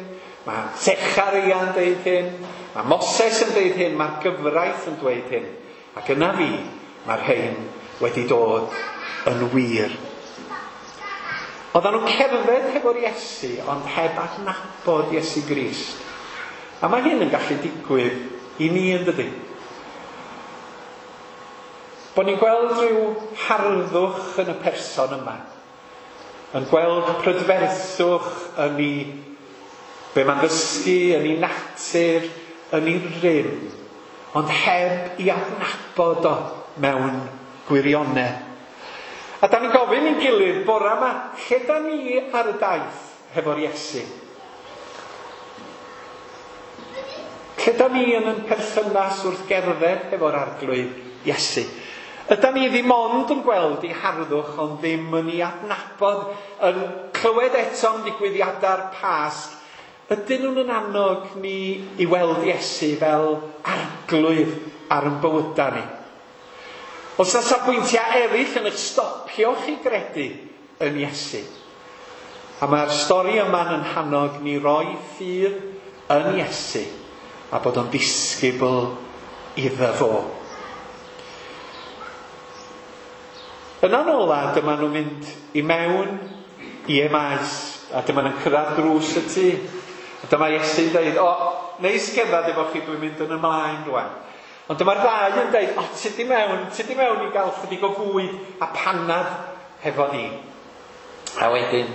mae Secharia'n dweud hyn, mae Moses yn dweud hyn, mae'r gyfraith yn dweud hyn. Ac yna fi, mae'r rhain wedi dod yn wir. Oedden nhw'n cerdded hefo'r Iesu, ond heb adnabod Iesu Grist. A mae hyn yn gallu digwydd i ni yn dydy. Bod ni'n gweld rhyw harddwch yn y person yma. Yn gweld prydferthwch yn ei be mae'n ddysgu, yn ei natur, yn ei rym, ond heb i adnabod o mewn gwirionedd. A da ni'n gofyn i'n gilydd bora yma, lle da ni ar y daith hefo'r Iesu? Lle da ni yn ein perthynas wrth gerdded hefo'r Arglwydd Iesu? Ydan ni ddim ond yn gweld ei harddwch, ond ddim yn ei adnabod, yn clywed eto am ddigwyddiadau'r Pasg. Ydyn nhw'n yn annog ni i weld Iesu fel arglwydd ar ein bywydau ni? Os na safbwyntiau eraill yn eich stopio chi gredu yn Iesu. A mae'r stori yma'n yn hannog ni roi ffydd yn Iesu a bod o'n ddisgybl iddo fo. Yna'n ola, dyma nhw'n mynd i mewn i Emaus, a dyma nhw'n cyrraedd drws y tŷ. A dyma Iesu'n dweud, o, neis gerdded efo chi, dwi'n mynd yn ymlaen rwan. Ond dyma'r ddau yn dweud, o, ti di mewn i gael chydig o fwyd a panad hefo ni. A wedyn,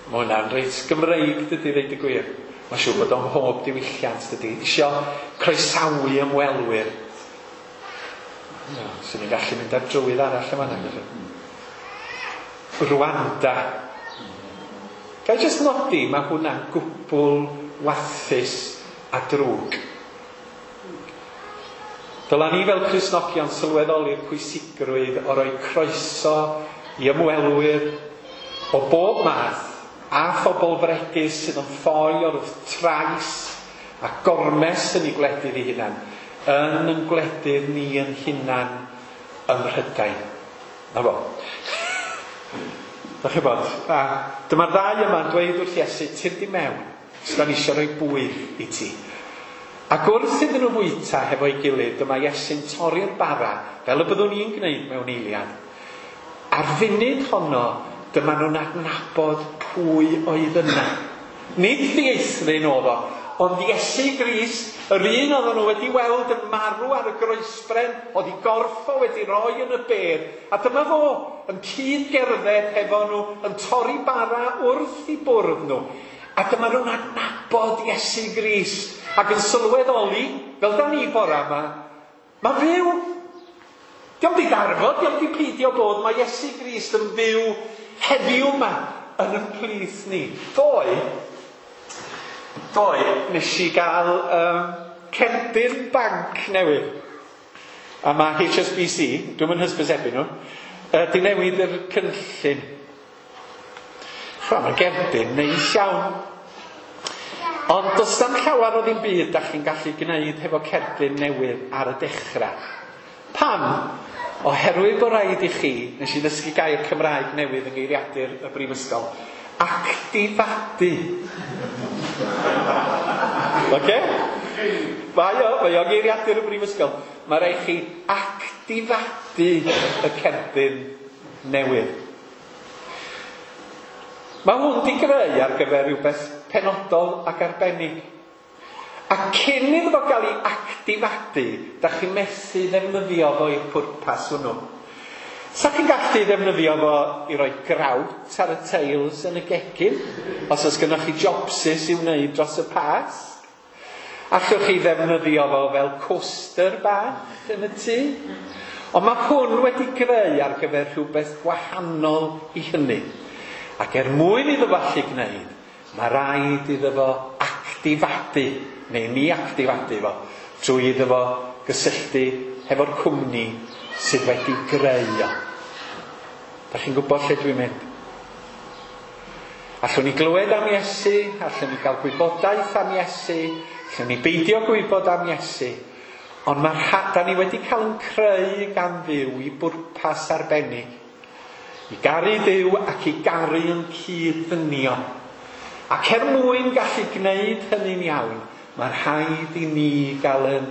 mae hwnna'n reit Gymreig, dydy, ddeud y gwir. Mae'n siŵr bod o'n mhob diwylliant, dydy. Isio croesawu ymwelwyr. No, swn i'n gallu mynd ar drywydd arall yma na. Rwanda. Ga i jyst nodi, mae hwnna'n gwbl warthus a drwg. Dyla ni fel Cristnogion sylweddoli'r pwysigrwydd o roi croeso i ymwelwyr, O bob math, a phobl fregus sydd yn ffoi o'r trais a gormes yn eu gwledydd eu hunan, yn ein gwledydd ni yn hunan ym Mhrydain. Na fo. Dach chi'n bod? A dyma'r ddau yma'n dweud wrth Iesu, tyrd i mewn, os da ni eisiau rhoi bwyd i ti. Ac wrth iddyn nhw fwyta hefo'i gilydd, dyma Iesu'n torri'r bara, fel y byddwn ni'n gwneud mewn eiliad. A'r funud honno, dyma nhw'n adnabod pwy oedd yna. Nid ddieithryn oedd o, ond Iesu Grist, yr un oedden nhw wedi weld yn marw ar y groesbren, oedd ei gorff o wedi roi yn y bedd. A dyma fo yn cyd-gerdded hefo nhw, yn torri bara wrth i bwrdd nhw. A dyma nhw'n adnabod Iesu Grist ac yn sylweddoli, fel da ni bora yma, mae'n fyw. Dio'm di darfod, dio'm di peidio bod, mae Iesu Grist yn fyw heddiw yma yn ein plith ni. Ddoe, nes i gael cerdyn banc newydd. A mae HSBC, dwi'm yn hysbysebu nhw, di newid yr cynllun. Mae'n gerdyn neis iawn. Ond does na'm llawer o ddim byd da chi'n gallu gwneud hefo cerdyn newydd ar y dechrau. Pam? Oherwydd bod rhaid i chi, nes i ddysgu gair Cymraeg newydd yng ngeiriadur y Brifysgol, actifadu. Oce? Mae o geiriadur y Brifysgol. Mae rhaid chi actifadu y cerdyn newydd. Mae hwn di greu ar gyfer rhywbeth penodol ac arbennig. A cyn iddo fo gael ei actifadu, da chi'n methu ddefnyddio fo i'r pwrpas hwnnw. Sa chi'n gallu ddefnyddio fo i roi grawt ar y teils yn y gegin, os oes gennych chi jobsys i'w wneud dros y Pasg. Allwch chi ddefnyddio fo fel coaster bach yn y tŷ. Ond mae hwn wedi greu ar gyfer rhywbeth gwahanol i hynny. Ac er mwyn iddo fo allu gwneud, mae rhaid iddo fo actifadu, neu ni actifadu fo, trwy iddo fo gysylltu hefo'r cwmni sydd wedi greu o. Da chi'n gwybod lle dwi'n mynd? Allwn ni glywed am Iesu, allwn ni gael gwybodaeth am Iesu, allwn ni beidio gwybod am Iesu, ond mae'r da ni wedi cael yn creu gan Dduw i bwrpas arbennig. I garu Duw ac i garu yn cyd-ddynion. Ac er mwyn gallu gwneud hynny'n iawn, mae rhaid i ni gael yn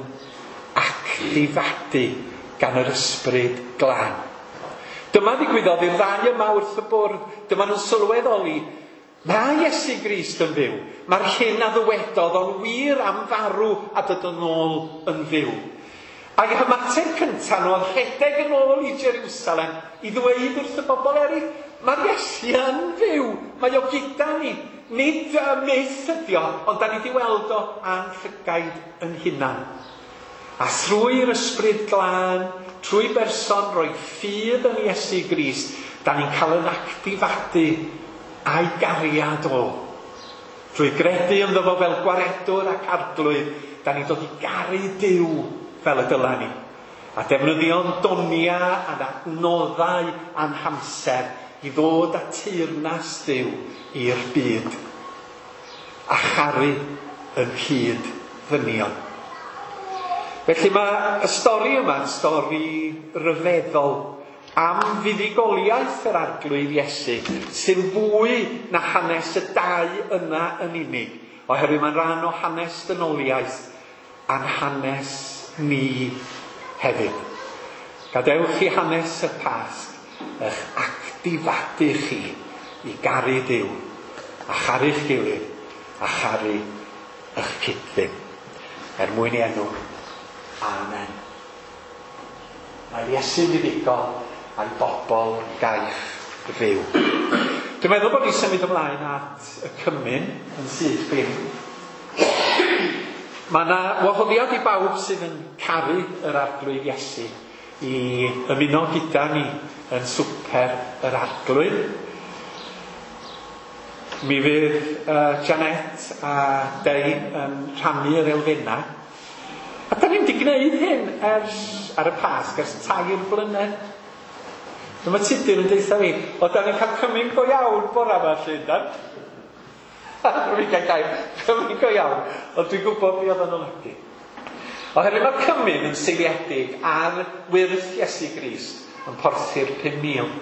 actifadu gan yr Ysbryd Glân. Dyma ddigwyddodd i'r ddau yma wrth y bwrdd. Dyma nhw'n sylweddoli, mae Iesu Grist yn fyw. Mae'r hyn a ddywedodd o'n wir am farw a dod yn ôl yn fyw. Ac ymateb cyntaf nhw oedd rhedeg yn ôl i Jerusalem i ddweud wrth y bobl eraill, mae'r Iesu yn fyw, mae o gyda ni. Nid myth ydi o, ond da ni wedi weld o a'n llygaid yn hunan. A thrwy'r Ysbryd Glân, trwy berson roi ffydd yn Iesu Grist, da ni'n cael yn actifadu a'i gariad o. Trwy gredu ynddo fo fel gwaredwr ac arglwydd, da ni'n dod i garu Duw fel y dyla ni. A defnyddio'n donia a'n adnoddau a'n hamser i ddod â teyrnas Duw i'r byd. A charu yn hyd ddynion. Felly mae y stori yma'n stori ryfeddol am fuddugoliaeth yr Arglwydd Iesu, sy'n fwy na hanes y dau yna yn unig, oherwydd mae'n rhan o hanes dynoliaeth a'n hanes ni hefyd. Gadewch i hanes y Pasg eich actifadu chi i garu Duw, a charu'ch gilydd, a charu eich cyd-ddyn. Er mwyn i enw. Amen. Mae Iesu'n fuddugol a'i bobl gaiff fyw. Dwi'n meddwl bod ni'n symud ymlaen at y cymun yn syth bin. Mae yna wahoddiad i bawb sydd yn caru yr Arglwydd Iesu i ymuno gyda ni yn swper yr Arglwydd. Mi fydd Janet a Dei yn rhannu'r elfennau. A da ni'n wedi gwneud hyn ers ar y Pasg, ers 3 blynedd. Dyma Tudur yn deutha fi, o da ni'n cael cymyn go iawn bora yma lle, dan? Rwy'n cael gair, cymyn go iawn. Ond dwi'n gwybod be oedd yn olygu. Oherwydd mae'r cymyn yn seiliedig ar wyrth Iesu Grist yn porthu'r 5,000.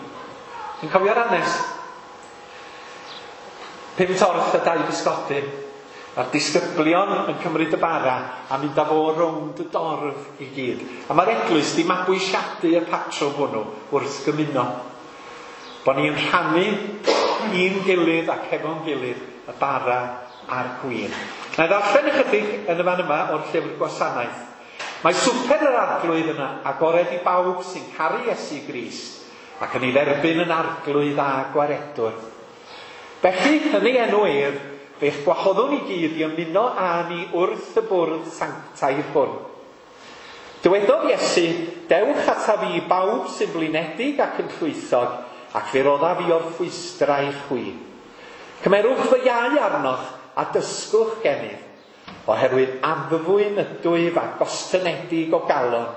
Ti'n cofio'r hanes? 5 torth a 2 bysgodyn. A'r disgyblion yn cymryd y bara a mynd â fo rownd y dorf i gyd. A mae'r eglwys di mabwysiadu y patrwm hwnnw wrth gymuno. Bo ni'n rhannu i'n gilydd ac efo'n gilydd y bara a'r gwin. Na i ddarllen ychydig yn y fan yma o'r llyfr gwasanaeth. Mae swper yr arglwydd yna agored i bawb sy'n caru Iesu Grist ac yn ei dderbyn yn arglwydd a gwaredwr. Felly, yn ei enw ef, fe'ch gwahoddwn i gyd i ymuno â ni wrth y bwrdd sanctaidd hwn. Dywedodd Iesu, dewch ataf fi bawb sy'n blinedig ac yn llwythog, ac fe roddaf fi orffwystra i chwi. Cymerwch fy iau arnoch a dysgwch gennyf, oherwydd addfwyn ydwyf a gostynedig o galon,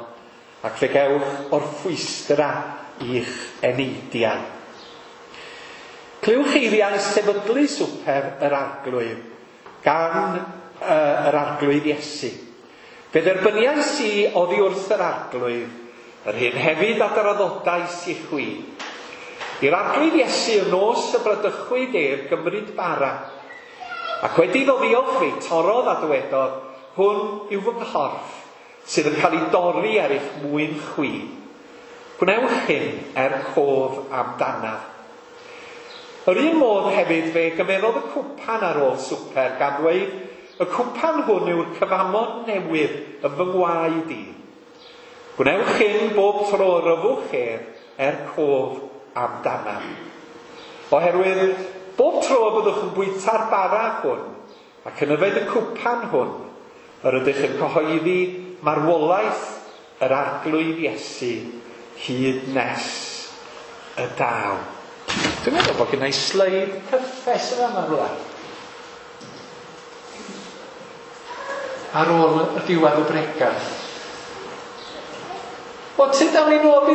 ac fe gewch orffwystra i'ch eneidiau. Clywch eiriau sefydlu swper yr arglwydd gan yr arglwydd Iesu. Fe dderbyniais i oddi wrth yr arglwydd, yr hyn hefyd a draddodais i chwi. I'r arglwydd Iesu y nos y bradychwyd ef gymryd bara, ac wedi iddo ddiolch fe torrodd a dywedodd, hwn yw fy nghorff, sydd yn cael ei dorri er eich mwyn chwi. Gwnewch hyn er cof amdanaf. Yr un modd hefyd fe gymerodd y cwpan ar ôl swper gan ddweud, y cwpan hwn yw'r cyfamod newydd yn fy ngwaed i. Gwnewch hyn bob tro yr yfwch ef er cof amdanaf. Oherwydd, bob tro y byddwch yn bwyta'r bara hwn ac yn yfed y cwpan hwn, yr ydych yn cyhoeddi marwolaeth yr arglwydd Iesu hyd nes y daw. Dwi'n meddwl bod gen i sleid cyffes yn yma rhywle. Ar ôl y diwedd y bregath. O, ti dal i nôl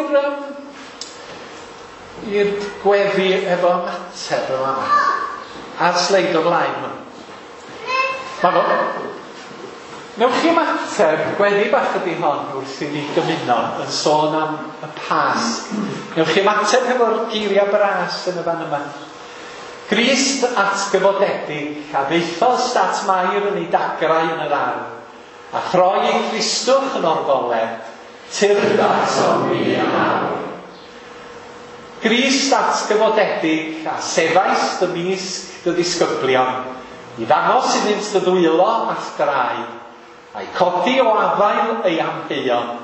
i'r gweddi efo ymateb yma. A'r sleid o flaen yma. Ma fo. Newch chi ymateb, gweddi bach ydi hon wrth i ni gymuno yn sôn am y Pasg. Newch chi ymateb hefo'r geiriau bras yn y fan yma. Grist atgyfodedig a ddeithost at Mair yn ei dagrau yn yr ardd, a throi ei Cristwch yn orfoledd, tyrd atom ni yn awr. Grist atgyfodedig a sefaist ymysg dy ddisgyblion, i ddangos iddynt dy ddwylo a'th draed, a'i codi o afael ei amheuon,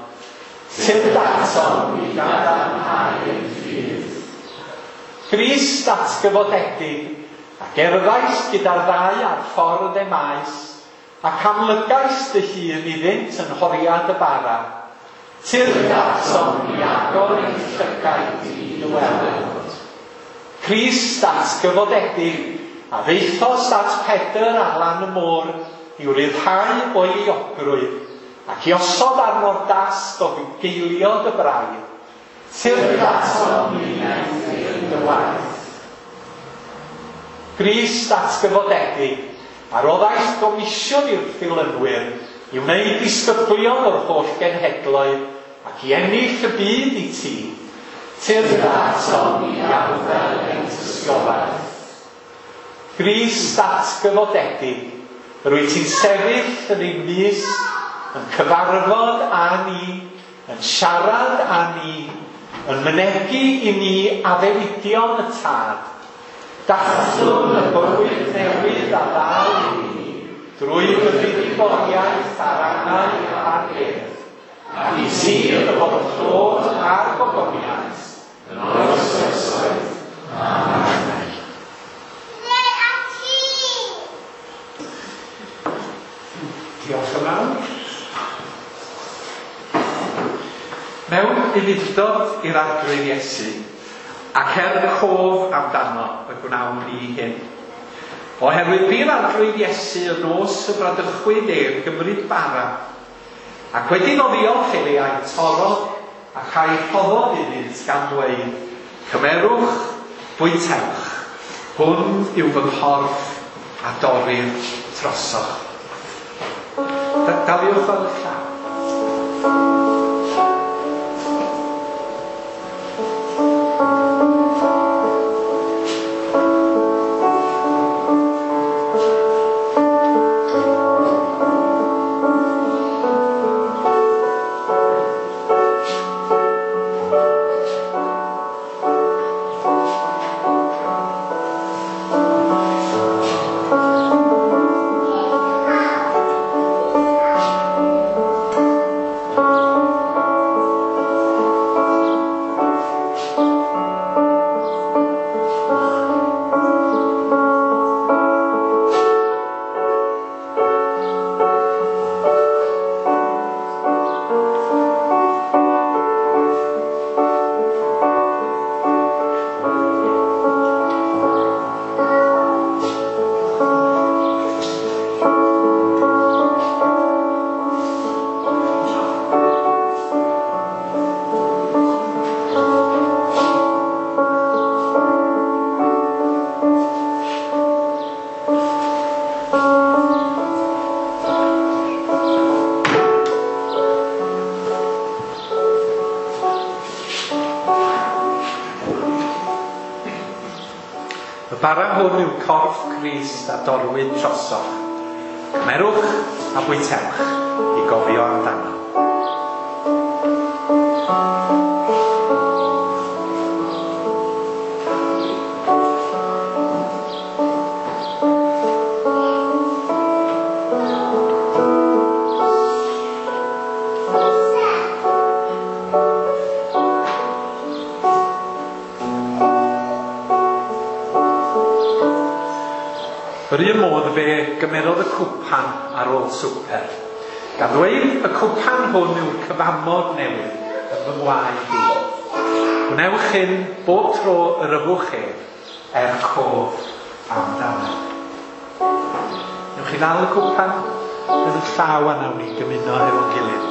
tyrd atom i gadarnhau ein ffydd. Grist atgyfodedig, a gerddaist gyda'r ddau ar ffordd Emaus, ac amlygais dy hun iddynt yn horiad y bara, tyrd atom i agor ein llygaid i dy weld. Crist atgyfodedig, a ddeithost at Pedr ar lan y môr, i'w ryddhau o'i euogrwydd, ac i osod arno'r dasg o fugeilio dy braidd, tyrd atom i wneuthur dy waith. Grist atgyfodedig, a roddaist gomisiwn i'r ddilynwyr i wneud disgyblion o'r holl genhedloedd ac i ennill y byd i ti, tyrd atom i arddel ein tystiolaeth. Grist atgyfodedig, rwyt ti'n sefyll yn ein mysg, yn cyfarfod â ni, yn siarad â ni, yn mynegi i ni addewidion y Tad. Dathlwn y bywyd newydd a ddaw i ni, drwy dy fuddugoliaeth ar angau a'r bedd, ac i ti y bod y clod a'r gogoniant yn oes oesoedd. Amen. Diolch yn fawr. Mewn ufudd-dod i'r arglwydd Iesu, ac er cof amdano y gwnawn ni hyn. Oherwydd bu'r arglwydd Iesu y nos y bradychwyd ef gymryd bara, ac wedi iddo ddiolch iddi a'i torrodd ac a'i rhoddodd iddynt gan ddweud, Cymerwch, bwytewch, hwn yw fy nghorff a dorrir trosoch. Daliwch fel eich llaw. Y bara hwn yw corff Crist a dorwyd trosoch. Cymerwch a bwytewch i gofio amdano. Yr un modd fe gymerodd y cwpan ar ôl swper, gan ddweud y cwpan hwn yw'r cyfamod newydd yn fy ngwaed i. Gwnewch hyn bob tro yr yfwch ef er cof amdano. Newch chi ddal y cwpan yn y llaw a nawn ni gymuno hefo'n gilydd.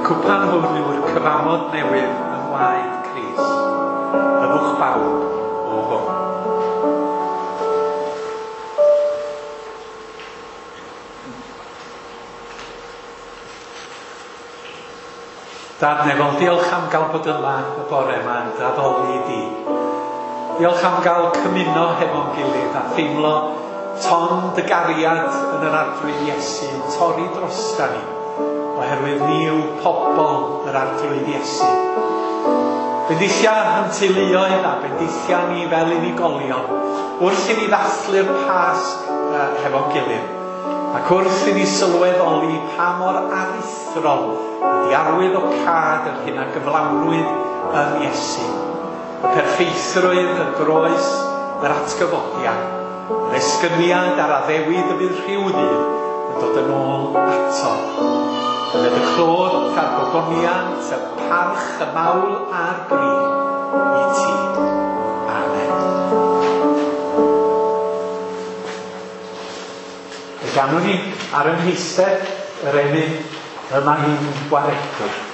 Cwpan hwn yw'r cyfamod newydd yng ngwaed Crist. Yfwch bawb o hwn. Dad nefol, diolch am gael bod yma y bore yma yn addoli di. Diolch am gael cymuno hefo'n gilydd a theimlo ton dy gariad yn yr Arglwydd Iesu yn torri drosta ni, oherwydd ni yw pobl yr Arglwydd Iesu. Bendithia yn teuluoedd a bendithia ni fel unigolion Wrth i ni ddathlu'r Pasg hefo'n gilydd, ac wrth i ni sylweddoli pa mor aruthrol ydy arwydd o cad yr hyn a gyflawnwyd yn Iesu. Y perffeithrwydd, y groes, yr atgyfodiad, yr esgyniad a'r addewid y bydd rhyw ddydd yn dod yn ôl ato. Bydd y clod a'r gogoniant, y parch, y mawl a'r bri i ti. Amen. Fe ganwn ni ar ein heistedd yr emyn y mae hi'n gwaredwr.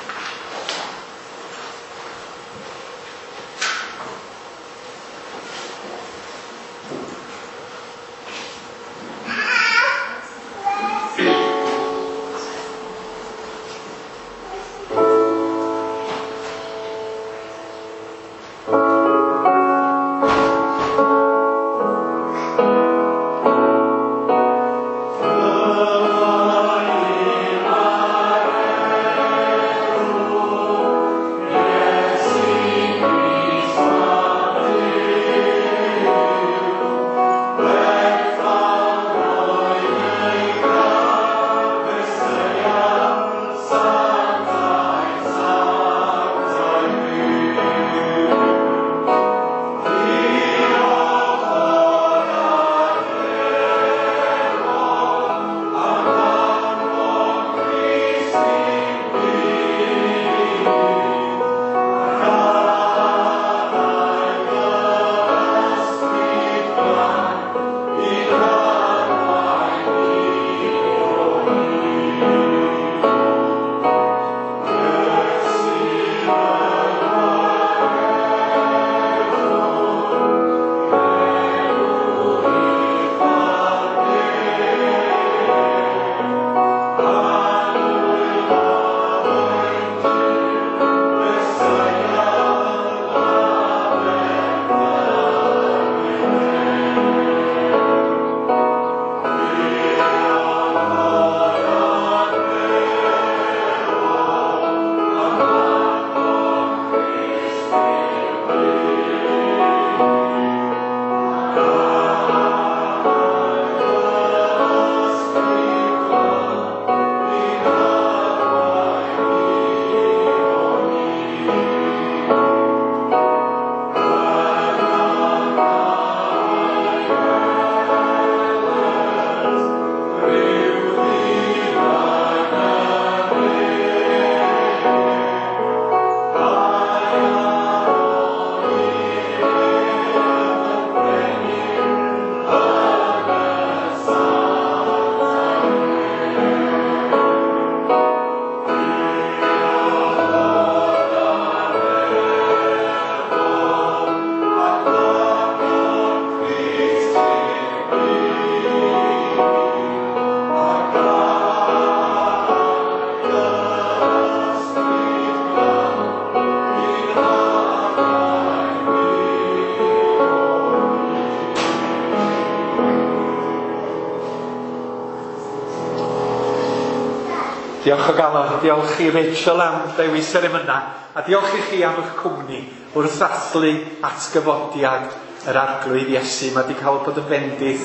Diolch o galon, diolch i Rachel am ddewis yr emynau, a diolch i chi am eich cwmni wrth ddathlu atgyfodiad yr Arglwydd Iesu. Mae wedi cael bod yn fendith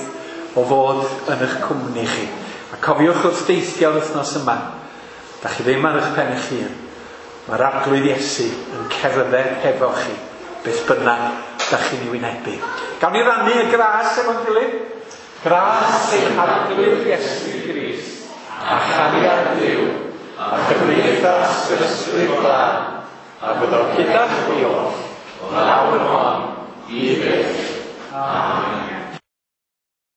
o fod yn eich cwmni chi. A cofiwch wrth deithio'r wythnos yma, da chi ddim ar eich pen eich hun. Mae'r Arglwydd Iesu yn cerdded hefo chi, beth bynnag da chi'n ei wynebu. Gawn ni rannu y gras efo'n gilydd? Gras ein Arglwydd Iesu Grist, a chariad Duw, a chymdeithas yr Ysbryd Glân, a byddo gyda chwi oll, o'r awr hon, i byth. Amen.